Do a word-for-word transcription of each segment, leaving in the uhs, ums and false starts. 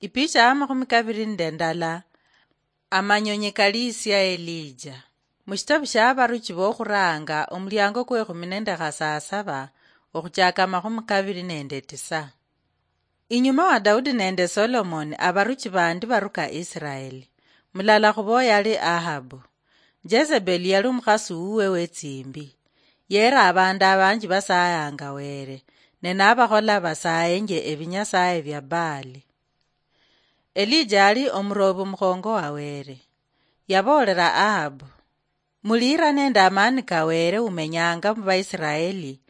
Ipicha ya makhumi kaviri nende ndala. Amanyonyi kaliisia Elija. Mushitabu shia Abaruchi bokhuranga, omuliango kwekhumi nende khasasaba, okhuchaka amakhumi kaviri nende tisa. Inyuma wa Daudi nende Solomoni, abaruchi bandi baruka Israeli. Mulala khubo yali Ahabu. Jezebeli yali omukhasi wuwe wetsimbi. Yera abandu abanji basayanga Were, ne nabakhola basayenje ebinyasaye bia Baali. Elija ali omurobi omukhongo wa Were. Yaboolera Ahabu, "Muliira nende amaani ka Were umenyanga mu Baisiraeli,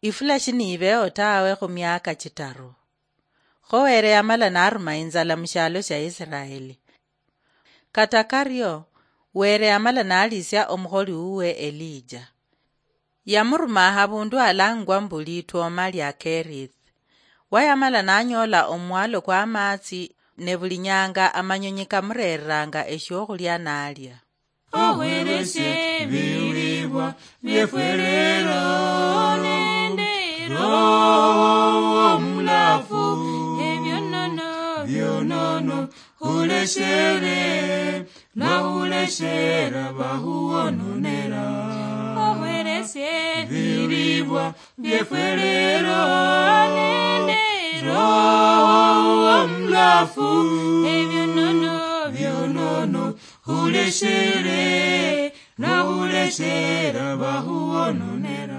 ifula shiniibeho tawe khu miaka chitaru." Kho Were yamala naruma inzala mu shialo shia Isiraeli. Kata kario, Were yamala nalisia omukholi wuwe Elija. Yamuruma habundu halangwa mbu Litwoma lia Kerith. Wayamala nanyola omwalo kwa amatsi, ne buli nyanga amanyonyi kamureranga eshiokhulia nalia. Ohweresie ebilibwa biefwe lero nende Roho Omulafu, ebionono bionono huleshere, nahuleshera bahuononera. Ohweresie ebilibwa biefwe lero nende Roho Omulafu, ebionono bionono huleshere, nahuleshera bahuononera.